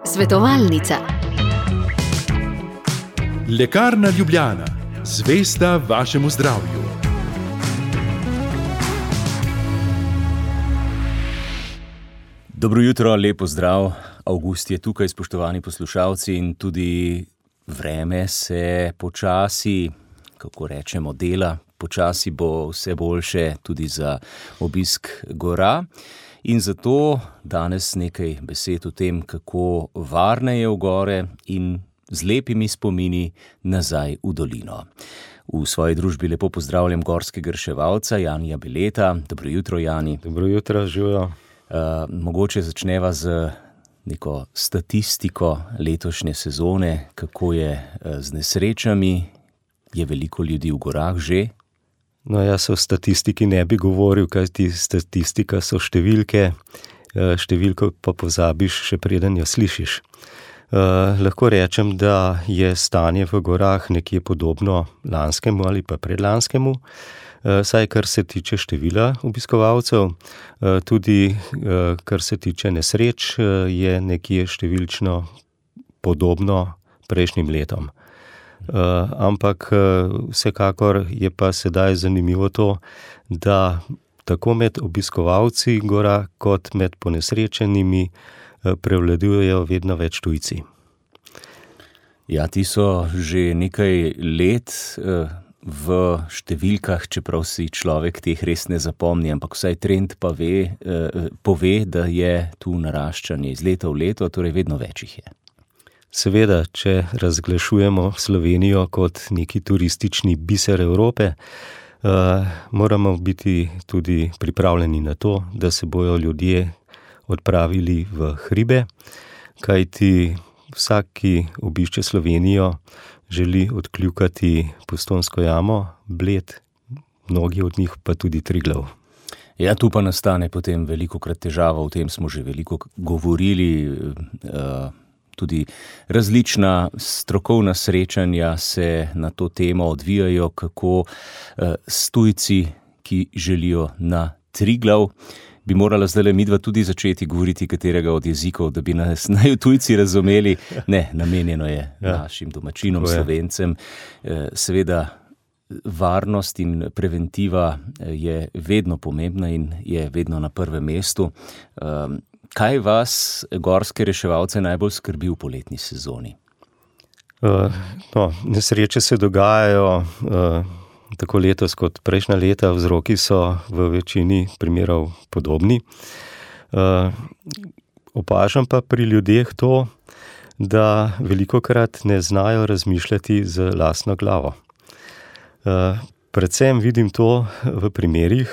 Svetovalnica. Lekarna Ljubljana, zvesta vašemu zdravju. Dobro jutro, lep pozdrav. Avgust je tukaj, spoštovani poslušalci, in tudi vreme se počasi, kako rečemo, dela. Počasi bo vse boljše tudi za obisk gora. In zato danes nekaj besed o tem, kako varne je v gore in z lepimi spomini nazaj v dolino. V svoji družbi lepo pozdravljam gorskega reševalca Janija Bileta. Dobro jutro, Jani. Dobro jutro, živijo. Mogoče začneva z neko statistiko letošnje sezone, kako je z nesrečami. Je veliko ljudi v gorah že? No, jaz o statistiki ne bi govoril, kajti statistika so številke, številko pa pozabiš, še preden jo slišiš. Lahko rečem, da je stanje v gorah nekje podobno lanskemu ali pa predlanskemu, saj kar se tiče števila obiskovalcev, tudi kar se tiče nesreč, je nekje številčno podobno prejšnjim letom. Ampak vsekakor je pa sedaj zanimivo to, da tako med obiskovalci gora kot med ponesrečenimi prevladujejo vedno več tujci. Ja, ti so že nekaj let v številkah, čeprav si človek teh res ne zapomni, ampak vsaj trend pa pove, da je tu naraščanje iz leta v leto, torej vedno več jih je. Seveda, če razglašujemo Slovenijo kot neki turistični biser Evrope, moramo biti tudi pripravljeni na to, da se bojo ljudje odpravili v hribe, kajti vsak, ki obišče Slovenijo, želi odkljukati Postojnsko jamo, Bled, mnogi od njih pa tudi Triglav. Ja, tu pa nastane potem velikokrat težava, o tem smo že veliko govorili, tudi različna strokovna srečanja se na to temo odvijajo, kako s tujci, ki želijo na Triglav, bi morala zdaj midva tudi začeti govoriti katerega od jezikov, da bi nas naj tujci razumeli. Ne, namenjeno je našim domačinom, Slovencem. Seveda, varnost in preventiva je vedno pomembna in je vedno na prvem mestu. Kaj vas, gorske reševalce, najbolj skrbi v poletni sezoni? Nesreče se dogajajo tako letos kot prejšnja leta, vzroki so v večini primerov podobni. Opažam pa pri ljudeh to, da velikokrat ne znajo razmišljati z lastno glavo. Predvsem vidim to v primerih,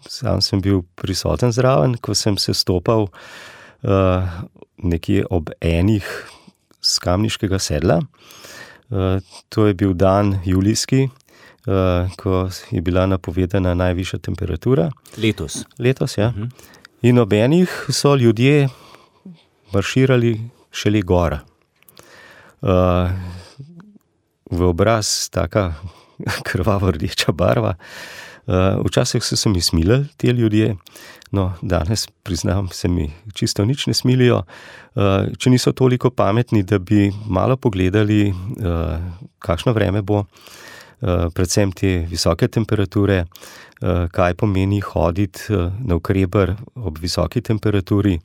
sam sem bil prisoten zraven, ko sem se stopal nekje ob enih s Kamniškega sedla. To je bil dan julijski, ko je bila napovedana najvišja temperatura. Letos, ja. In ob enih so ljudje marširali šele gor. V obraz taka krvavo rdeča barva. Včasih so se mi smilili ti ljudje, no danes priznam, se mi čisto nič ne smilijo. Če niso toliko pametni, da bi malo pogledali, kakšno vreme bo, predvsem te visoke temperature, kaj pomeni hoditi navkreber ob visoki temperaturi,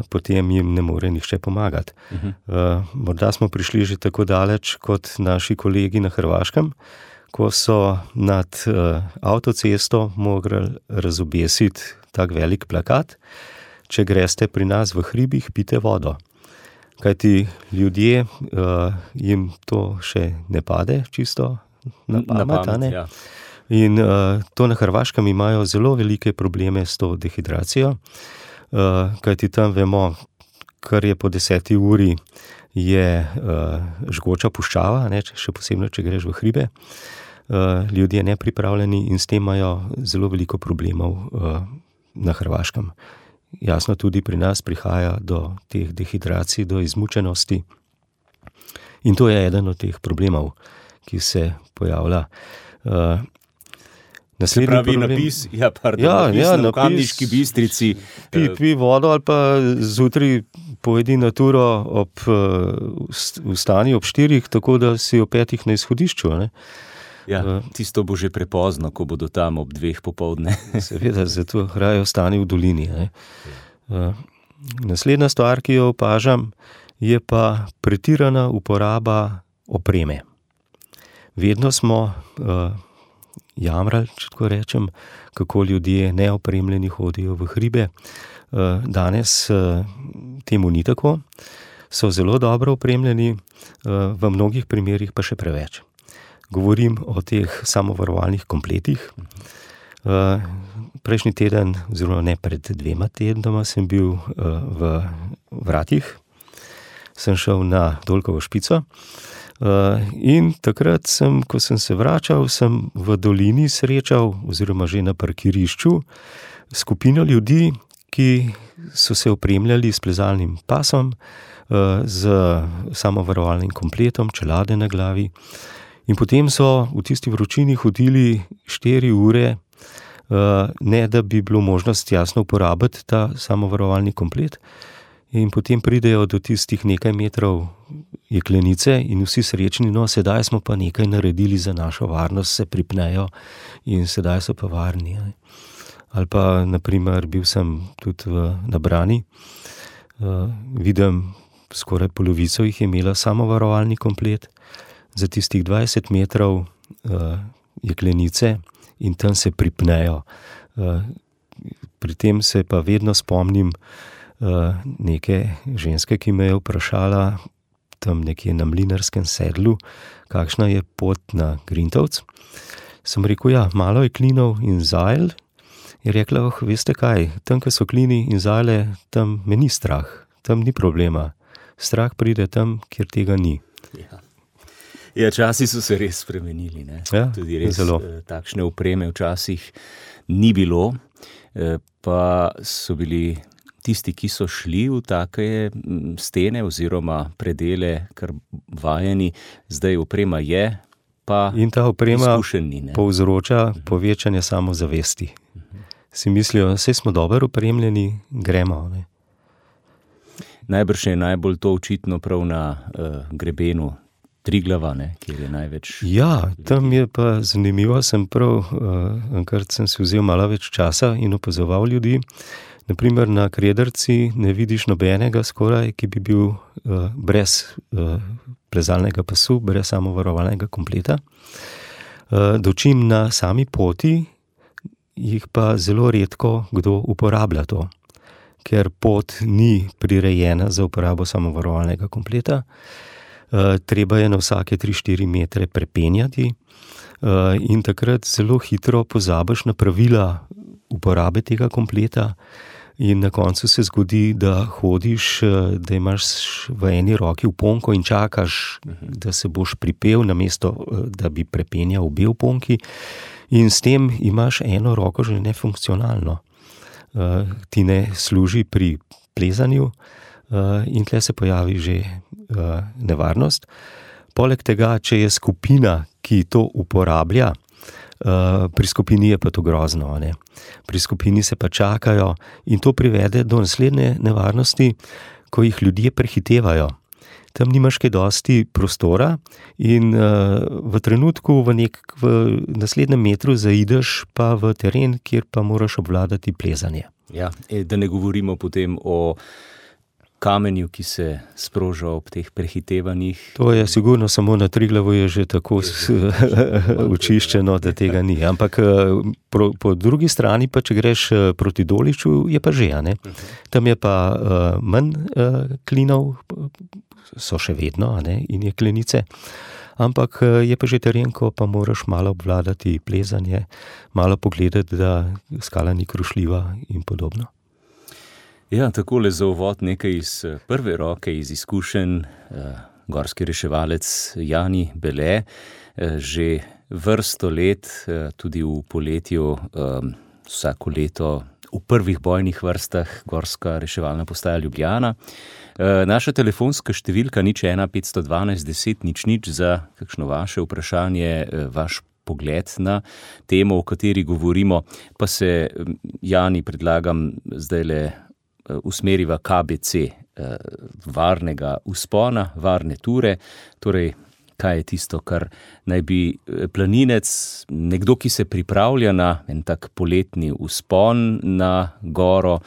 potem jim ne more nihče pomagati. Morda smo prišli že tako daleč kot naši kolegi na Hrvaškem, ko so nad avtocesto mogli razobesiti tak velik plakat: če greste pri nas v hribih, pijte vodo. Kajti ljudje, jim to še ne pade čisto na pamet, ja. In to na Hrvaškem imajo zelo velike probleme s to dehidracijo, kajti tam vemo, kar je po 10. uri, je žgoča puščava, ne, še posebno, če greš v hribe. Ljudje nepripravljeni in s tem imajo zelo veliko problemov na Hrvaškem. Jasno, tudi pri nas prihaja do teh dehidracij, do izmučenosti. In to je eden od teh problemov, ki se pojavlja. Se pravi napis, na Kamniški Bistrici. Pi vodo ali pa zjutraj pojedi na turo vstani ob 4, tako da si ob 5 na izhodišču. Ne? Ja, tisto bo že prepozno, ko bodo tam ob 2 popoldne. Seveda, zato raje ostani v dolini. Ne? Naslednja stvar, ki jo opažam, je pa pretirana uporaba opreme. Vedno smo jamrali, če tako rečem, kako ljudje neopremljeni hodijo v hribe. Danes temu ni tako. So zelo dobro opremljeni, v mnogih primerih pa še preveč. Govorim o teh samovarovalnih kompletih. Prejšnji teden, oziroma ne pred 2 tednoma, sem bil v Vratih. Sem šel na Dolkovo špico. In takrat ko sem se vračal, sem v dolini srečal, oziroma že na parkirišču, skupino ljudi, ki so se opremljali s plezalnim pasom, z samovarovalnim kompletom, čelade na glavi. In potem so v tisti vročini hodili 4 ure, ne da bi bilo možnost jasno uporabiti ta samovarovalni komplet. In potem pridejo do tistih nekaj metrov jeklenice in vsi srečni, no, sedaj smo pa nekaj naredili za našo varnost, se pripnejo in sedaj so pa varni. Ali pa, naprimer, bil sem tudi na Brani, vidim, skoraj polovico jih je imela samovarovalni komplet, za tistih 20 metrov jeklenice in tam se pripnejo. Pri tem se pa vedno spomnim neke ženske, ki me je vprašala tam nekje na Mlinarskem sedlu, kakšna je pot na Grintovc. Sem rekel, ja, malo je klinov in zajl. Je rekla, veste kaj, tam, ko so klini in zajle, tam me ni strah, tam ni problema. Strah pride tam, kjer tega ni. Ja, časi so se res spremenili, ne? Ja, tudi res zelo. Takšne opreme včasih ni bilo, pa so bili tisti, ki so šli v take stene oziroma predele, kar vajeni, zdaj oprema je, pa in ta oprema izkušeni, ne? Povzroča povečanje samozavesti. Si mislijo, saj smo dobro opremljeni, gremo. Ne? Najbrž je najbolj to očitno prav na grebenu Triglava, ne, kjer je največ. Ja, tam je pa zanimivo, enkrat sem si vzel malo več časa in opazoval ljudi. Naprimer, na Krederci ne vidiš nobenega skoraj, ki bi bil brez plezalnega pasu, brez samovarovalnega kompleta. Dočim na sami poti jih pa zelo redko kdo uporablja to, ker pot ni prirejena za uporabo samovarovalnega kompleta. Treba je na vsake 3-4 metre prepenjati in takrat zelo hitro pozabiš na pravila uporabe tega kompleta in na koncu se zgodi, da hodiš, da imaš v eni roki uponko in čakaš, da se boš pripel, namesto da bi prepenjal obe uponki, in s tem imaš eno roko že nefunkcionalno. Ti ne služi pri plezanju in tle se pojavi že nevarnost. Poleg tega, če je skupina, ki to uporablja, pri skupini je pa to grozno, ne? Pri skupini se pa čakajo in to privede do naslednje nevarnosti, ko jih ljudje prehitevajo. Tam nimaš kaj dosti prostora in v trenutku v naslednjem metru zaideš pa v teren, kjer pa moraš obvladati plezanje. Ja, da ne govorimo potem o kamenju, ki se sproža ob teh prehitevanjih. To je sigurno, samo na Triglavu je že tako očiščeno, da tega ni. Ampak po drugi strani pa, če greš proti Doliču, je pa že, ne? Tam je pa manj klinov, so še vedno, ne? In jeklenice. Ampak je pa že teren, ko pa moraš malo obvladati plezanje, malo pogledati, da skala ni krušljiva in podobno. Ja, takole za uvod nekaj iz prve roke, iz izkušenj. Gorski reševalec Jani Bele že vrsto let, tudi v poletju, vsako leto v prvih bojnih vrstah Gorska reševalna postaja Ljubljana. Naša telefonska številka 01512 10 00 za kakšno vaše vprašanje, vaš pogled na temo, o kateri govorimo, pa se, Jani, predlagam zdajle usmeriva KBC, varnega vzpona, varne ture, torej kaj je tisto, kar naj bi planinec, nekdo, ki se pripravlja na en tak poletni vzpon na goro,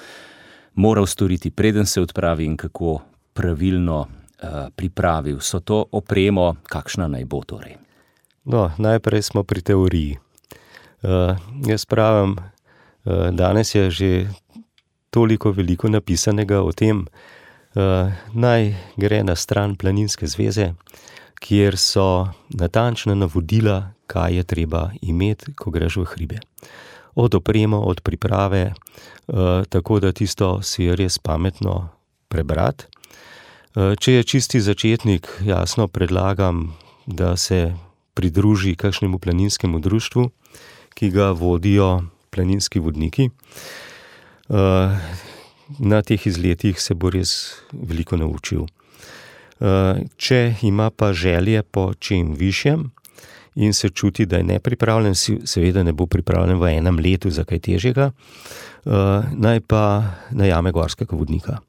moral storiti, preden se odpravi in kako pravilno pripravi vso to opremo, kakšna naj bo torej? No, najprej smo pri teoriji. Jaz pravim, danes je že toliko veliko napisanega o tem, naj gre na stran Planinske zveze, kjer so natančna navodila, kaj je treba imeti, ko greš v hribe. Od opremo, od priprave, tako da tisto si je res pametno prebrati. Če je čisti začetnik, jasno predlagam, da se pridruži kakšnemu planinskemu društvu, ki ga vodijo planinski vodniki. Na teh izletih se bo res veliko naučil. Če ima pa želje po čem višjem in se čuti, da je nepripravljen, seveda ne bo pripravljen v enem letu za kaj težjega, naj pa najame gorskega vodnika.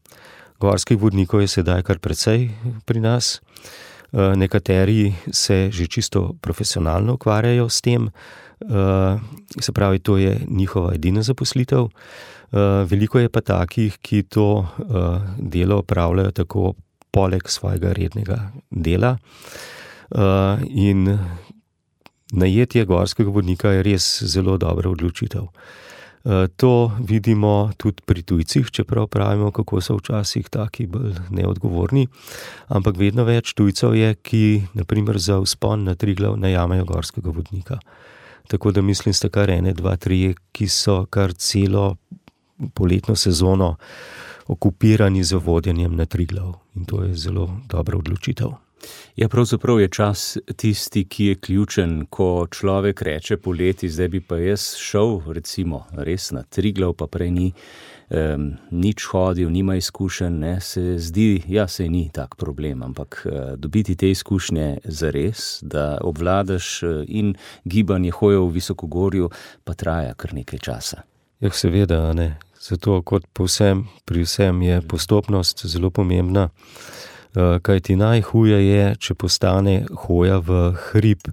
Gorskih vodnikov je sedaj kar precej pri nas. Nekateri se že čisto profesionalno ukvarjajo s tem, se pravi, to je njihova edina zaposlitev. Veliko je pa takih, ki to delo opravljajo tako poleg svojega rednega dela. In najetje gorskega vodnika je res zelo dobra odločitev. To vidimo tudi pri tujcih, čeprav pravimo, kako so včasih taki bolj neodgovorni, ampak vedno več tujcev je, ki naprimer za vzpon na Triglav najamejo gorskega vodnika. Tako da mislim, sta kar 1, 2, 3, ki so kar celo poletno sezono okupirani z vodjenjem na Triglav. In to je zelo dobra odločitev. Ja, pravzaprav je čas tisti, ki je ključen, ko človek reče poleti, zdaj bi pa jaz šel recimo res na Triglav, pa prej nič hodil, nima izkušenj, ne, se zdi, ja, saj ni tak problem, ampak dobiti te izkušnje zares, da obvladaš in gibanje, hojo v visokogorju, pa traja kar nekaj časa. Ja, seveda, ne. Zato kot pri vsem je postopnost zelo pomembna. Kaj ti najhuje je, če postane hoja v hrib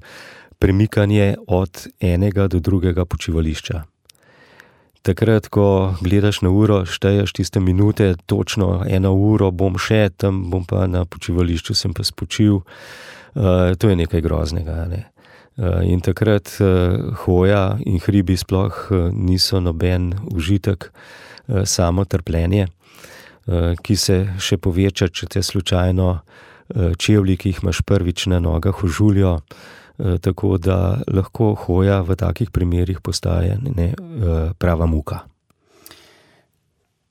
premikanje od enega do drugega počivališča. Takrat, ko gledaš na uro, šteješ tiste minute, točno 1 uro bom še, tam bom pa na počivališču sem pa spočil, to je nekaj groznega, ne. In takrat hoja in hribi sploh niso noben užitek, samo trpljenje, ki se še poveča, če te slučajno čevlji, ki jih imaš prvič na nogah, ožuljo, tako da lahko hoja v takih primerih postaje prava muka.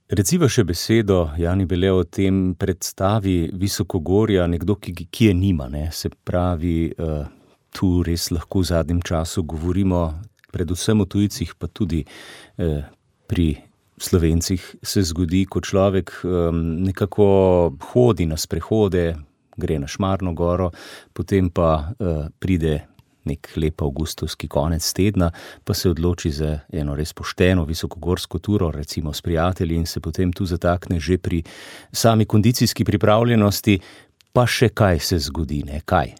Reciva še besedo, Jani Bele, o tem predstavi visokogorja, nekdo, ki je nima, ne? Se pravi, tu res lahko v zadnjem času govorimo predvsem o tujcih, pa tudi pri Slovencih se zgodi, ko človek nekako hodi na sprehode, gre na Šmarno goro, potem pa pride nek lep avgustovski konec tedna, pa se odloči za eno res pošteno visokogorsko turo, recimo s prijatelji, in se potem tu zatakne že pri sami kondicijski pripravljenosti, pa še kaj se zgodi, ne? Kaj?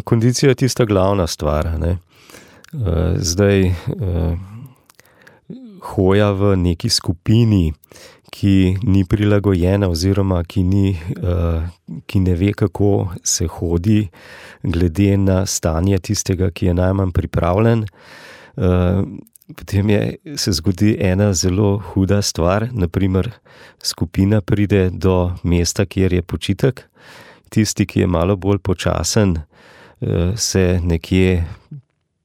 Kondicija je tista glavna stvar, ne. Zdaj, hoja v neki skupini, ki ni prilagojena oziroma ki ne ve, kako se hodi, glede na stanje tistega, ki je najmanj pripravljen, potem se zgodi ena zelo huda stvar, naprimer skupina pride do mesta, kjer je počitek, tisti, ki je malo bolj počasen, se nekje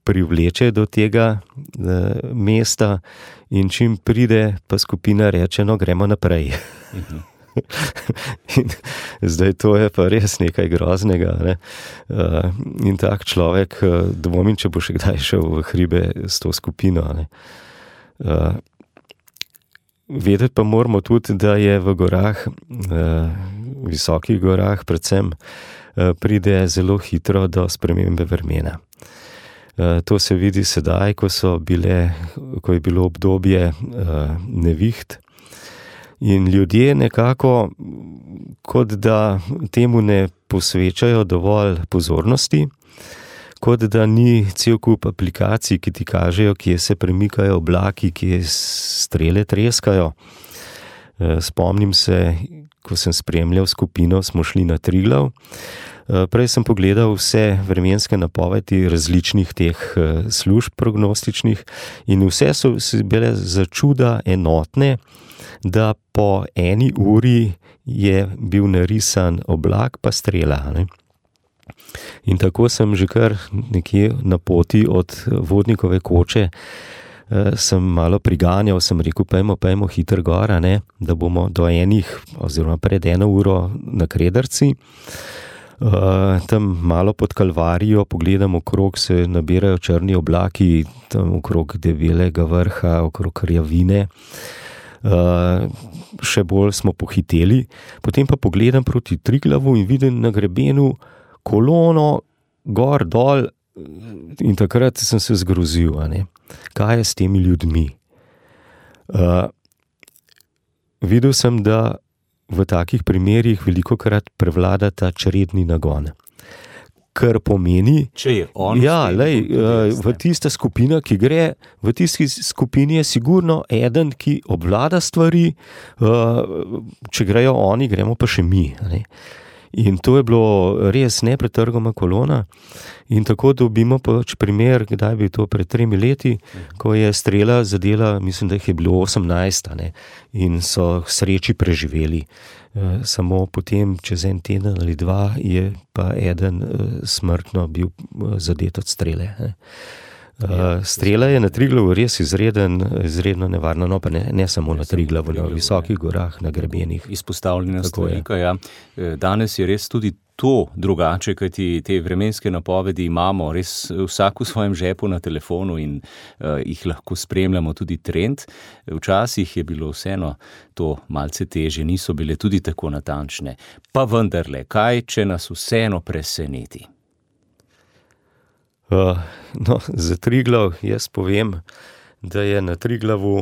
privleče do tega mesta in čim pride, pa skupina reče, no, gremo naprej. In zdaj to je pa res nekaj groznega, ne? In tak človek, dvomim, če bo še kdaj šel v hribe s to skupino, ne? Vedeti pa moramo tudi, da je v gorah, visokih gorah predvsem, pride zelo hitro do spremembe vremena. To se vidi sedaj, ko je bilo obdobje neviht in ljudje nekako, kot da temu ne posvečajo dovolj pozornosti, kot da ni cel kup aplikacij, ki ti kažejo, kje se premikajo oblaki, kje strele treskajo. Spomnim se, ko sem spremljal skupino, smo šli na Triglav. Prej sem pogledal vse vremenske napovedi različnih teh služb prognostičnih in vse so bile začuda enotne, da po 1 uri je bil narisan oblak pa strela. Ne? In tako sem že kar nekje na poti od Vodnikove koče sem malo priganjal, sem rekel, pejmo hitro gora, ne? Da bomo do 1 oziroma pred 1 uro na Krederci. Tam malo pod Kalvarijo pogledam okrog, se nabirajo črni oblaki, tam okrog Debelega vrha, okrog Rjavine. Še bolj smo pohiteli, potem pa pogledam proti Triglavu in vidim na grebenu kolono gor, dol in takrat sem se zgrozil, kaj je s temi ljudmi. Videl sem, da v takih primerih velikokrat prevlada ta čredni nagon. Kar pomeni, če je on v tista skupina, ki gre, v tisti skupini je sigurno eden, ki obvlada stvari, če grejo oni, gremo pa še mi. In to je bilo res nepretrgoma kolona in tako dobimo pač primer, kdaj bi to pred 3 leti, ko je strela zadela, mislim, da jih je bilo 18, in so k sreči preživeli. Samo potem, čez 1 teden ali 2, je pa eden smrtno bil zadet od strele. Strela je na Triglavu res izredno nevarna, no pa ne samo na Triglavu, na visokih gorah, na grebenih. Izpostavljenost velika, ja. Danes je res tudi to drugače, kajti te vremenske napovedi imamo res vsak v svojem žepu na telefonu in jih lahko spremljamo tudi trend. Včasih je bilo vseeno to malce težje, niso bile tudi tako natančne. Pa vendarle, kaj, če nas vseeno preseneti? Za Triglav jaz povem, da je na Triglavu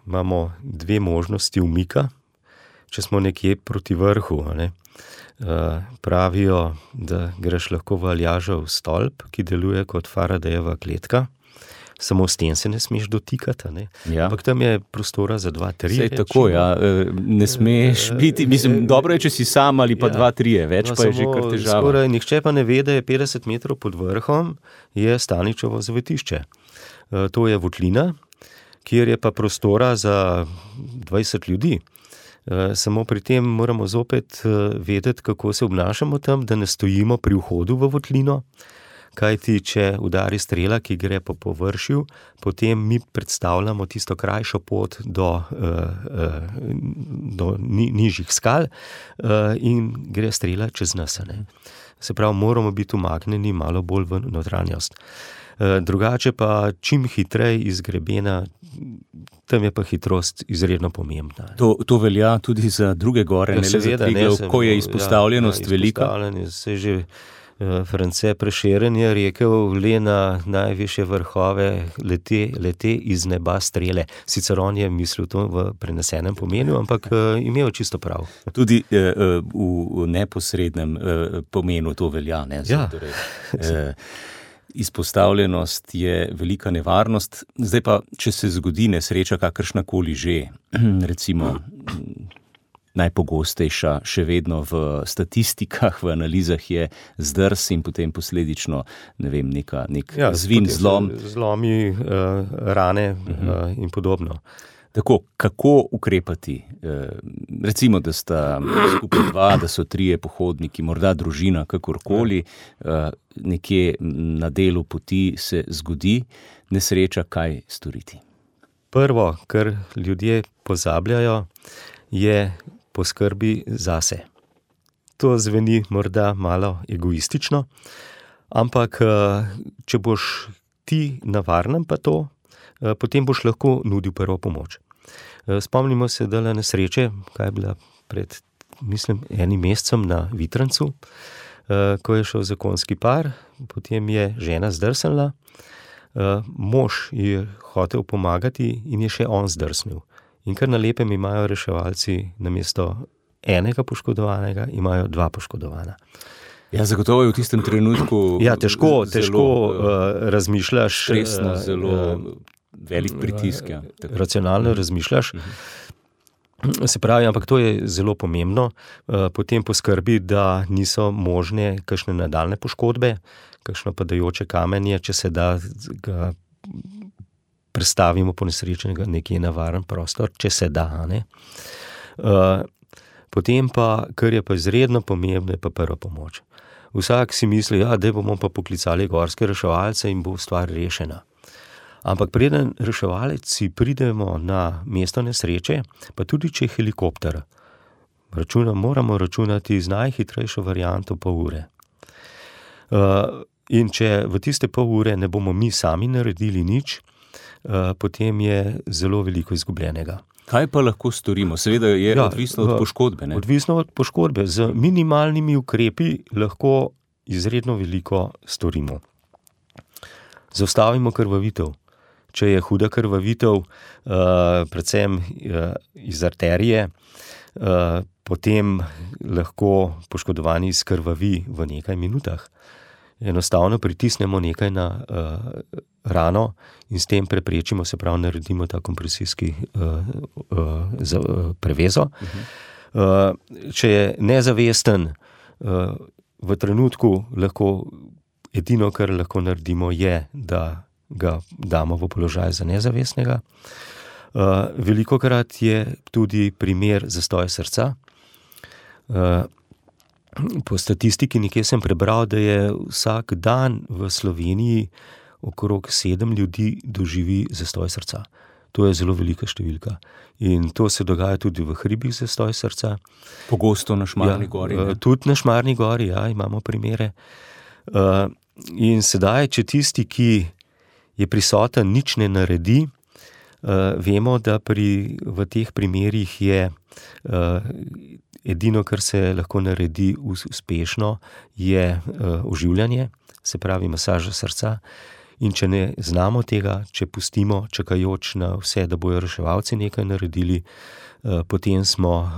imamo 2 možnosti umika, če smo nekje proti vrhu. Pravijo, da greš lahko v Aljažev stolp, ki deluje kot Faradayjeva kletka, samo s tem se ne smeš dotikati, Ja. Ampak tam je prostora za 2-3. Sej tako, ja, ne smeš biti, mislim, dobro je, če si sam ali pa 2-3, več pa je že kar težava. Skoraj nihče pa ne ve, da je 50 metrov pod vrhom je Staničevo zavetišče. To je votlina, kjer je pa prostora za 20 ljudi. Samo pri tem moramo zopet vedeti, kako se obnašamo tam, da ne stojimo pri vhodu v votlino, kajti če udari strela, ki gre po površju, potem mi predstavljamo tisto krajšo pot do nižjih skal in gre strela čez nas. Se pravi, moramo biti umaknjeni malo bolj v notranjost. Drugače pa čim hitreje iz grebena, tam je pa hitrost izredno pomembna. To velja tudi za druge gore, ne le za Triglav, ko je izpostavljenost velika. Se že France Prešeren je rekel, le na najvišje vrhove lete iz neba strele. Sicer on je mislil to v prenesenem pomenu, ampak imel čisto prav. Tudi v neposrednem pomenu to velja, ne? Ja. Izpostavljenost je velika nevarnost. Zdaj pa, če se zgodi nesreča kakršnakoli že, recimo najpogostejša še vedno v statistikah, v analizah je zdrs in potem posledično, nek zvin, zlom. Zlomi, rane in podobno. Tako, kako ukrepati? Recimo, da sta skupaj 2, da so 3 pohodniki, morda družina, kakorkoli, nekje na delu poti se zgodi nesreča, kaj storiti? Prvo, kar ljudje pozabljajo, je poskrbi zase. To zveni morda malo egoistično, ampak če boš ti na varnem pa to, potem boš lahko nudil prvo pomoč. Spomnimo se, da nesreče, kaj je bila pred mislim, enim mesecem na Vitrancu, ko je šel zakonski par, potem je žena zdrsnila, mož je hotel pomagati in je še on zdrsnil. In kar na lepem imajo reševalci namesto enega poškodovanega, imajo 2 poškodovana. Ja, zagotovo je v tistem trenutku težko razmišljaš. Stresno, zelo velik pritisk. Ja. Racionalno razmišljaš. Se pravi, ampak to je zelo pomembno. Potem poskrbi, da niso možne kakšne nadaljne poškodbe, kakšno padajoče kamenje, če se da ga prestavimo ponesrečenega nekje na varen prostor, če se da. Ne? Potem pa, kar je pa izredno pomembno, je pa prva pomoč. Vsak si misli, da bomo pa poklicali gorske reševalce in bo stvar rešena. Ampak preden reševalci pridemo na mesto nesreče, pa tudi če je helikopter, moramo računati z najhitrejšo varianto pol ure. In če v tiste pol ure ne bomo mi sami naredili nič, potem je zelo veliko izgubljenega. Kaj pa lahko storimo? Seveda je odvisno od poškodbe. Ne? Odvisno od poškodbe. Z minimalnimi ukrepi lahko izredno veliko storimo. Zaustavimo krvavitev. Če je huda krvavitev, predvsem iz arterije, potem lahko poškodovani skrvavi v nekaj minutah. Enostavno pritisnemo nekaj na rano in s tem preprečimo, se pravi, naredimo ta kompresijski prevezo. Če je nezavesten, v trenutku edino, kar lahko naredimo, je, da ga damo v položaj za nezavestnega. Velikokrat je tudi primer zastoja srca. Po statistiki nekje sem prebral, da je vsak dan v Sloveniji okrog 7 ljudi doživi zastoj srca. To je zelo velika številka. In to se dogaja tudi v hribih zastoj srca. Pogosto na Šmarni gori. Tudi na Šmarni gori, imamo primere. In sedaj, če tisti, ki je prisoten, nič ne naredi, vemo, da v teh primerih je edino, kar se lahko naredi uspešno, je oživljanje, se pravi masaža srca. In če ne znamo tega, če pustimo čakajoč na vse, da bojo reševalci nekaj naredili, potem smo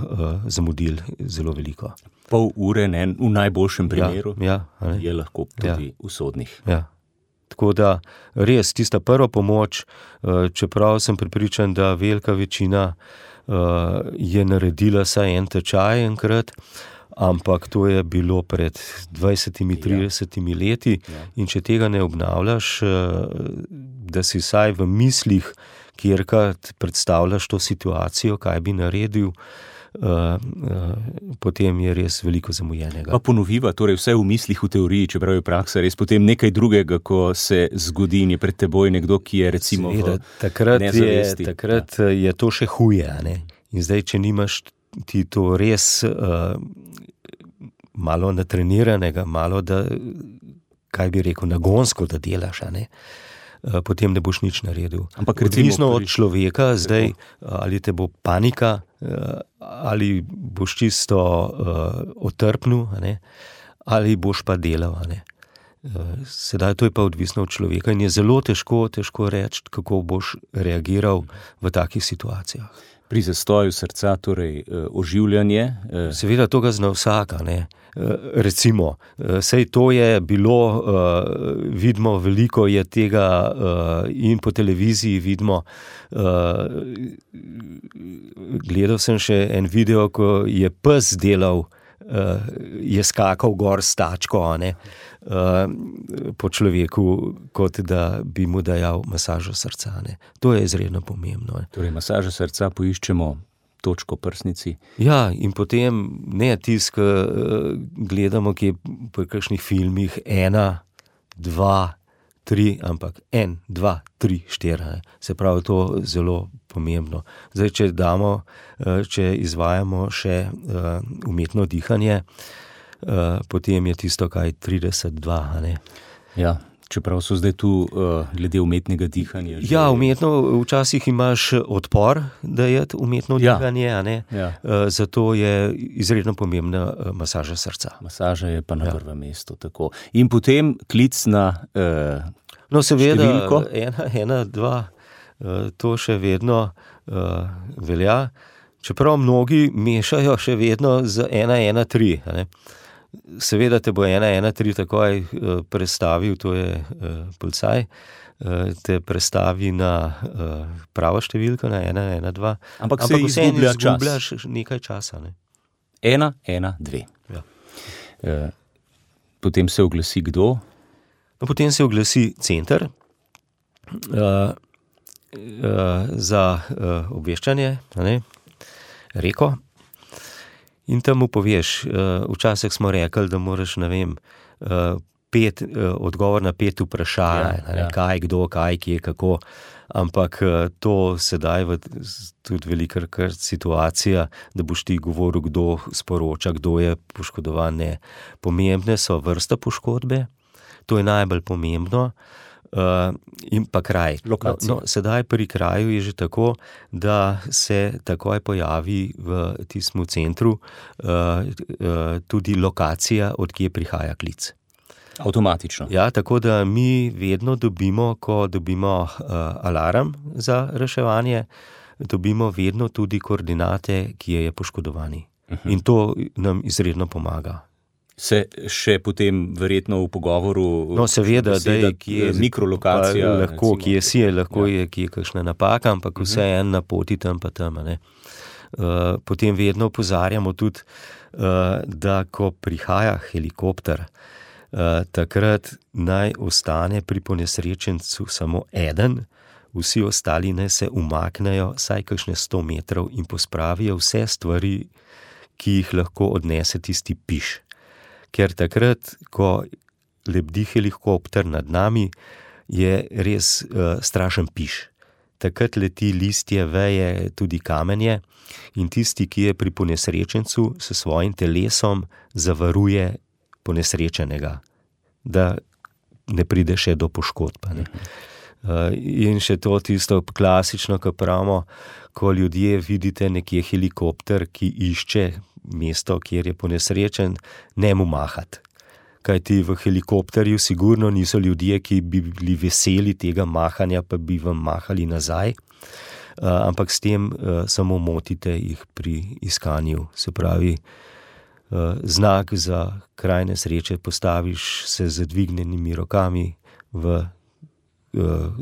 zamudili zelo veliko. Pol ure, ne, v najboljšem primeru, je lahko tudi usodnih. Ja. Tako da res tista prva pomoč, čeprav sem prepričan, da velika večina je naredila saj en tečaj enkrat, ampak to je bilo pred 20-30 leti in če tega ne obnavljaš, da si vsaj v mislih, kjerkrat predstavljaš to situacijo, kaj bi naredil, potem je res veliko zamujenega. Pa ponoviva, torej vse v mislih, v teoriji, čeprav je praksa res potem nekaj drugega, ko se zgodi in je pred teboj nekdo, ki je recimo v nezavesti. Takrat je to še huje, ne? In zdaj, če nimaš ti to res malo natreniranega, malo da, kaj bi rekel, nagonsko, da delaš, ne? Potem ne boš nič naredil. Ampak odvisno od človeka, zdaj, ali te bo panika, ali boš čisto otrpnil, ne? Ali boš pa delal. Ne? Sedaj to je pa odvisno od človeka in je zelo težko reči, kako boš reagiral v takih situacijah. Pri zastoju srca, torej oživljanje. Seveda to ga zna vsaka, ne. Recimo, sej to je bilo, vidimo, veliko je tega in po televiziji vidimo. Gledal sem še en video, ko je pes delal, je skakal gor s tačko, ne, po človeku, kot da bi mu dajal masažo srca. Ne. To je izredno pomembno. Ne. Torej, masažo srca poiščemo točko prsnici. Ja, in potem ne tisk, gledamo, ki je po kakšnih filmih 1, 2, 3, ampak 1, 2, 3, 4. Se pravi, to zelo pomembno. Zdaj, če izvajamo še umetno dihanje, potem je tisto kaj 32, ne? Ja, Čeprav so zdaj tu glede umetnega dihanja. Ja, umetno, včasih imaš odpor, da je umetno dihanje, a ne? Ja. Zato je izredno pomembna masaža srca. Masaža je pa na prvem mestu, tako. In potem klic na no, seveda, številko. 1, 2, to še vedno velja. Čeprav mnogi mešajo še vedno z 113, a ne? Seveda te bo 113 takoj prestavil, to je policaj, te prestavi na pravo številko, na 112. Ampak se izgublja čas. Izgubljaš nekaj časa. Ne? 112. Ja. Potem se oglasi kdo? No, potem se oglasi center za obveščanje, a ne? Reko. In tam mu poveš, včasih smo rekli, da moraš, ne vem, odgovor na 5 vprašanj, kaj, kdo, kaj, kje, kako, ampak to sedaj tudi velikokrat situacija, da boš ti govoril, kdo sporoča, kdo je poškodovan, ne. Pomembne so vrsta poškodbe, to je najbolj pomembno, in pa kraj. Lokacija. No, sedaj pri kraju je že tako, da se takoj pojavi v tistem centru tudi lokacija, od kje prihaja klic. Avtomatično. Ja, tako da mi vedno dobimo, ko dobimo alarm za reševanje, dobimo vedno tudi koordinate, kje je poškodovani. In to nam izredno pomaga. Se še potem verjetno v pogovoru... No, seveda, da je kje mikrolokacija. Lahko, kje si je, lahko je kje kakšna napaka, ampak vse en na poti tam pa tam. Ne? Potem vedno opozarjamo tudi, da ko prihaja helikopter, takrat naj ostane pri ponesrečencu samo eden, vsi ostali naj se umaknejo vsaj kakšne 100 metrov in pospravijo vse stvari, ki jih lahko odnese tisti piš. Ker takrat, ko lebdi helikopter nad nami, je res strašen piš. Takrat leti listje, veje, tudi kamenje in tisti, ki je pri ponesrečencu, s svojim telesom zavaruje ponesrečenega, da ne pride še do poškodb. Ne? In še to tisto klasično, ko pravimo, ko ljudje vidite nekje helikopter, ki išče mesto, kjer je ponesrečen, ne mu mahati. Kajti v helikopterju sigurno niso ljudje, ki bi bili veseli tega mahanja, pa bi vam mahali nazaj, ampak s tem samo motite jih pri iskanju. Se pravi, znak za kraj nesreče postaviš se z dvignjenimi rokami,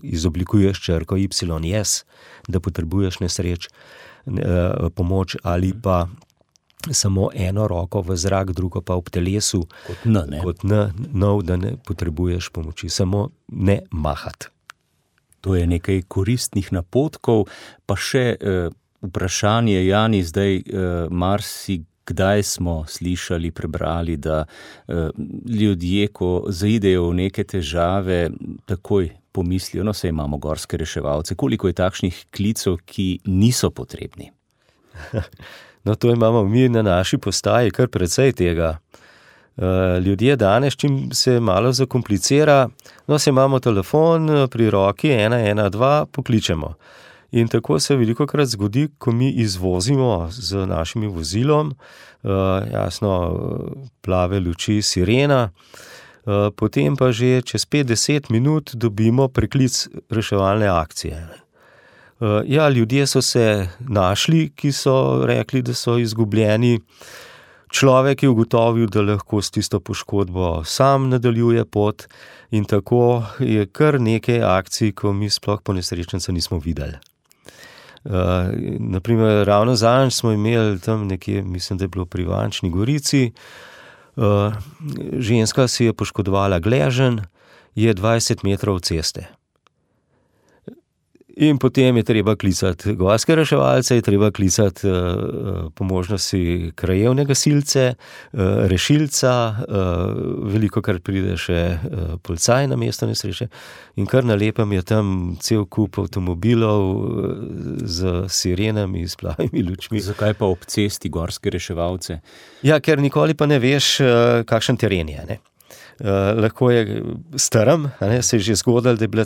izoblikuješ črko YS, da potrebuješ pomoč, ali pa samo eno roko v zrak, drugo pa ob telesu, kot da ne potrebuješ pomoči, samo ne mahati. To je nekaj koristnih napotkov, pa še vprašanje, Jani, zdaj kdaj smo slišali, prebrali, da ljudje, ko zaidejo v neke težave, takoj pomislijo, no, saj imamo gorske reševalce, koliko je takšnih klicev, ki niso potrebni? No, to imamo mi na naši postaji kar precej tega. Ljudje danes, čim se malo zakomplicira, no, se imamo telefon pri roki, 112, pokličemo. In tako se velikokrat zgodi, ko mi izvozimo z našim vozilom, jasno, plave luči, sirena, potem pa že čez 5-10 minut dobimo preklic reševalne akcije. Ja, ljudje so se našli, ki so rekli, da so izgubljeni. Človek je ugotovil, da lahko s tisto poškodbo sam nadaljuje pot in tako je kar nekaj akcij, ko mi sploh ponesrečenca nismo videli. Naprimer, ravno zadnjič smo imeli tam nekje, mislim, da je bilo pri Ivančni Gorici, ženska si je poškodovala gleženj, je 20 metrov ceste. In potem je treba klicati gorske reševalce, je treba klicati po možnosti krajevne gasilce, rešilca, velikokrat pride še policaj na mesto nesreče in kar na lepem je tam cel kup avtomobilov z sirenami, s plavimi lučmi. Zakaj pa ob cesti gorske reševalce? Ja, ker nikoli pa ne veš, kakšen teren je, ne? Lahko je strm, se je že zgodilo, da je bila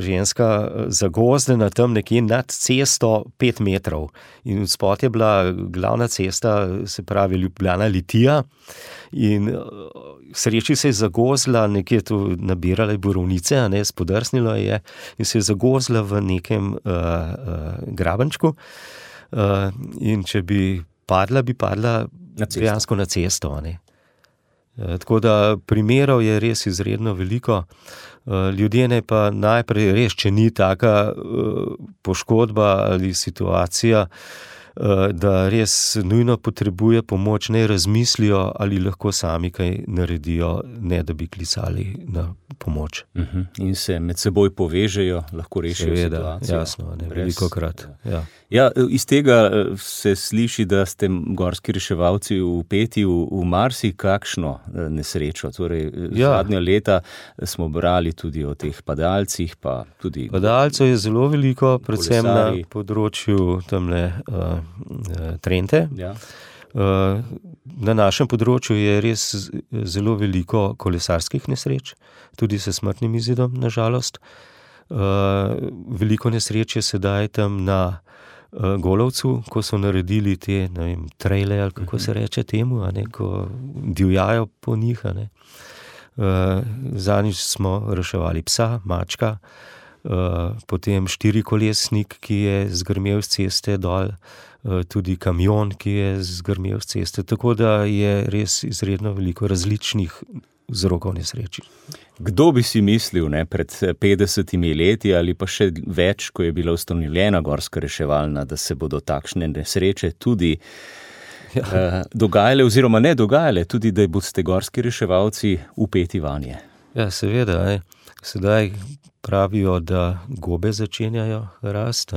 ženska zagozdena tam nekje nad cesto 5 metrov. In spod je bila glavna cesta, se pravi Ljubljana-Litija. In sreči se je zagozdila, nekje tu nabirala je borovnice, spodrsnilo je in se je zagozdila v nekem grabenčku. In če bi padla dejansko na cesto. Tako da primerov je res izredno veliko. Ljudje ne pa najprej res, če ni taka poškodba ali situacija, da res nujno potrebuje pomoč, ne razmislijo, ali lahko sami kaj naredijo, ne da bi klicali na pomoč. In se med seboj povežejo, lahko rešijo situacijo. Jasno, velikokrat. Ja, iz tega se sliši, da ste gorski reševalci vpeti v marsikakšno nesrečo. Torej, zadnja leta smo brali tudi o teh padalcih, pa tudi... Padalcev je zelo veliko, predvsem na področju tamle Trente. Ja. Na našem področju je res zelo veliko kolesarskih nesreč, tudi s smrtnim izidom, na žalost. Veliko nesreč je sedaj tam na Golovcu, ko so naredili te, trejle, ali kako se reče temu, ko divjajo po njih. Zadnjič smo reševali psa, mačka, potem 4-kolesnik, ki je zgrmel z ceste dol, tudi kamion, ki je zgrmel z ceste, tako da je res izredno veliko različnih vzrokov nesreči. Kdo bi si mislil, pred 50 leti ali pa še več, ko je bila ustanovljena gorska reševalna, da se bodo takšne nesreče tudi dogajale oziroma ne dogajale, tudi da boste gorski reševalci vpeti vanje? Ja, seveda. Sedaj pravijo, da gobe začenjajo rast.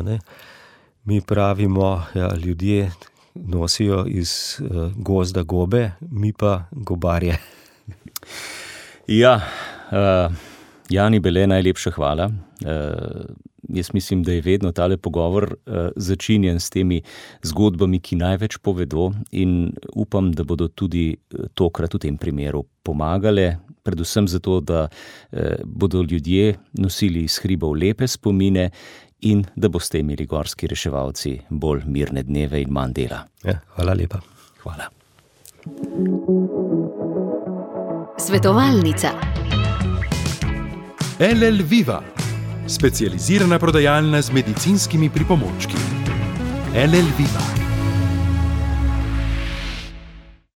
Mi pravimo, ljudje nosijo iz gozda gobe, mi pa gobarje. Ja, Jani Bele, najlepša hvala. Jaz mislim, da je vedno tale pogovor začinjen s temi zgodbami, ki največ povedo, in upam, da bodo tudi tokrat v tem primeru pomagale, predvsem zato, da bodo ljudje nosili iz hribov lepe spomine in da boste imeli gorski reševalci bolj mirne dneve in manj dela. Ja, hvala lepa. Hvala. Svetovalnica. LL Viva, specializirana prodajalna z medicinskimi pripomočki. LL Viva.